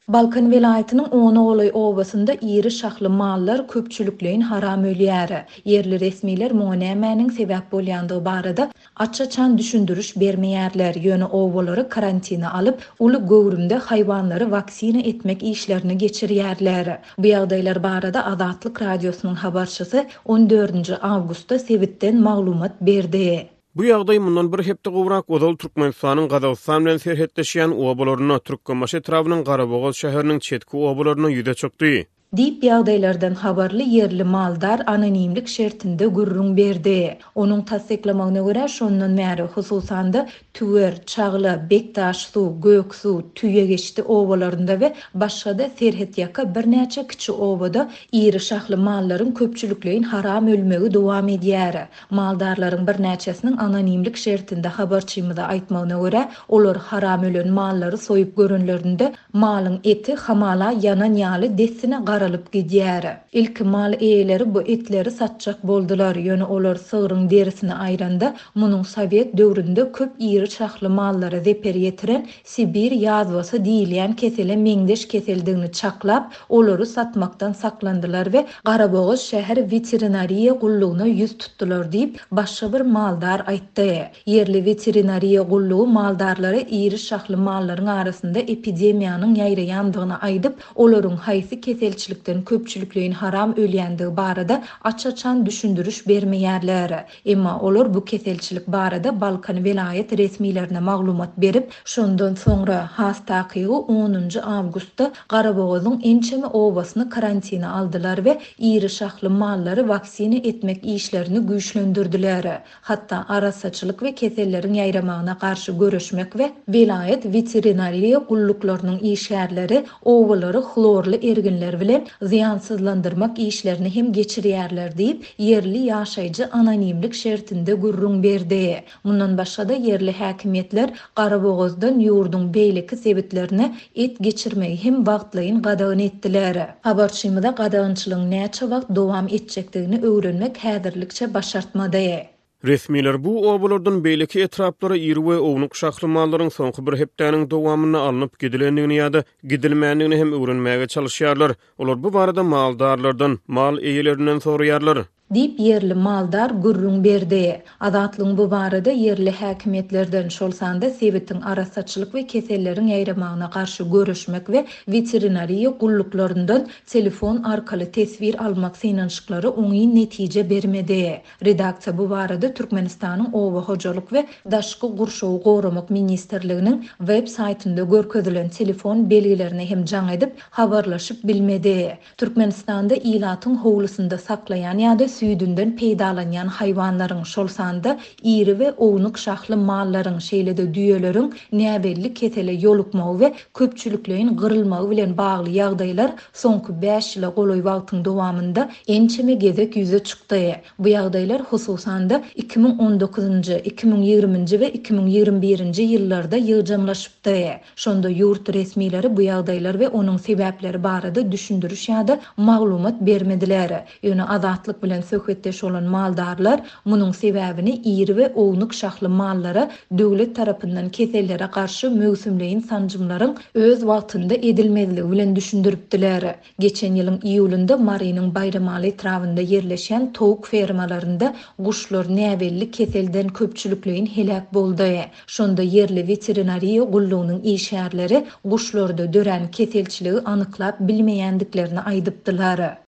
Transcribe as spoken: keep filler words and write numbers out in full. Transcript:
Balkan welaýatynyň ona golaý obasynda iri şahly mallar köpçülikleýin haram ölýär. Ýerli resmiler muňa nämäniň sebäp bolýandygy barada aç-açan düşündiriş bermeýärler, ýöne obalary karantina alyp, uly göwrümde haýwanlary waksina etmek işlerini geçirýärler. Bu ýagdaýlar barada Azatlyk Radiosynyň habarçysy on dördünji awgustda sebitden maglumat berdi. Bu ýagdaý mundan bir hepde gowrak ozal Türkmenistanyň Gazagystan bilen serhetleşýän obalarynda, Türkmenbaşy etrabynyň Garabogaz şäheriniň çetki obalarynda ýüze çykdy. Diýip, ýagdaýlardan habarly ýerli maldar anonimlik şertinde gürrüň berdi. Onuň tassyklamagyna görä, şondan bäri hususan-da Tüwer, Çagla, Bekdaşsuw, Göksuw, Tüýegeçdi obalarynda we başga-da serhetýaka birnäçe kiçi obada iri şahly mallaryň köpçülikleýin haram ölmegi dowam edýär. Maldarlaryň birnäçesiniň anonimlik şertinde habarçymyza aýtmagyna görä, olar haram ölen mallary soýup görenlerinde malyň eti hamala ýanan ýaly dessine garalyp gidýär. Ilki mal eýeleri bu etleri satjak boldular, ýöne olar sygryň derisini aýranda, munuň Sowet döwründe köp iri şahly mallara zeper ýetiren Sibir ýazwasy diýilýän kesele meňzeş keseldigini çaklap, olary satmakdan saklandylar we Garabogaz şäher weterinariýa gullugyna ýüz tutdular diýip, başga bir maldar aýtdy. Ýerli weterinariýa gullugy maldarlara iri şahly mallaryň arasynda epidemiýanyň ýaýraýandygyny aýdyp, olaryň haýsy keselçilikden köpçülikleýin haram ölýändigi barada aç-açan düşündiriş bermeýärler. Emma olar bu keselçilik barada Balkan welaýat resmilerine maglumat berip, şondan soňra has takygy onunjy awgustda Garabogazyň ençeme obasyny karantina aldylar we iri şahly mallary waksina etmek işlerini güýçlendirdiler. Hatda arassaçylyk we keselleriň ýaýramagyna garşy göreşmek we welaýat weterinariýa gulluklarynyň işgärleri obalary hlorly erginler bilen zyýansyzlandyrmak işlerini hem geçirýärler diýip, ýerli ýaşaýjy anonimlik şertinde gürrüň berdi. Mundan başga-da ýerli häkimiýetler Garabogazdan ýurduň beýleki sebitlerine et geçirmegi hem wagtlaýyn gadagan etdiler. Habarçymyza gadagançylygyň näçe wagt dowam etjekdigini öwrenmek häzirlikçe başartmady. Resmiler bu obalardan beýleki etraplara iri we ownuk şahly mallaryň soňky bir hepdäniň dowamynda alnyp gidilendigini ýa-da gidilmändigini hem öwrenmäge çalışýarlar. Olar bu barada maldarlardan, mal eýelerinden soraýarlar. Diýip ýerli maldar gürrüň berdi. Azatlygyň bu barada ýerli häkimiýetlerden, şol sanda sebitiň arassaçylyk we keselleriň ýaýramagyna garşy göreşmek we weterinariýa gulluklaryndan telefon arkaly teswir almak synanyşyklary oňyn netije bermedi. Redaksiýa bu barada Türkmenistanyň Oba hojalyk we Daşky gurşawy goramak ministrliginiň web saýtynda görkezilen telefon belgilerine hem jaň edip habarlaşyp bilmedi. Türkmenistanda ilatyň howlusynda saklaýan ýa-da süýdünden peýdalanýan haýwanlaryň, şol sanda iri we ownuk şahly mallaryň, şeýle-de düýeleriň näbelli kesele ýolukmagy we köpçülikleýin gyrylmagy bilen bagly ýagdaýlar soňky bäş ýyla golaý wagtyň dowamynda ençeme gezek ýüze çykdy. Bu ýagdaýlar hususan-da iki müň on dokuzynjy, iki müň ýigriminji we iki müň ýigrimi birinji ýyllarda ýygjamlaşypdy. Şonda ýurt resmileri bu ýagdaýlar we onuň sebäpleri barada düşündiriş ýa-da maglumat bermediler. Ýöne Azatlyk bilen söhbetdeş bolan maldarlar munuň sebäbini iri we ownuk şahly mallara döwlet tarapyndan kesellere garşy möwsümleýin sanjymlaryň öz wagtynda edilmezligi bilen düşündiripdiler. Geçen ýylyň iýulynda Marynyň Baýramaly etrabynda ýerleşen towuk fermalarynda guşlar näbelli keselden köpçülikleýin heläk boldy. Şonda ýerli weterinariýa gullugynyň işgärleri guşlarda dörän keselçiligi anyklap bilmeýändiklerini aýdypdylar.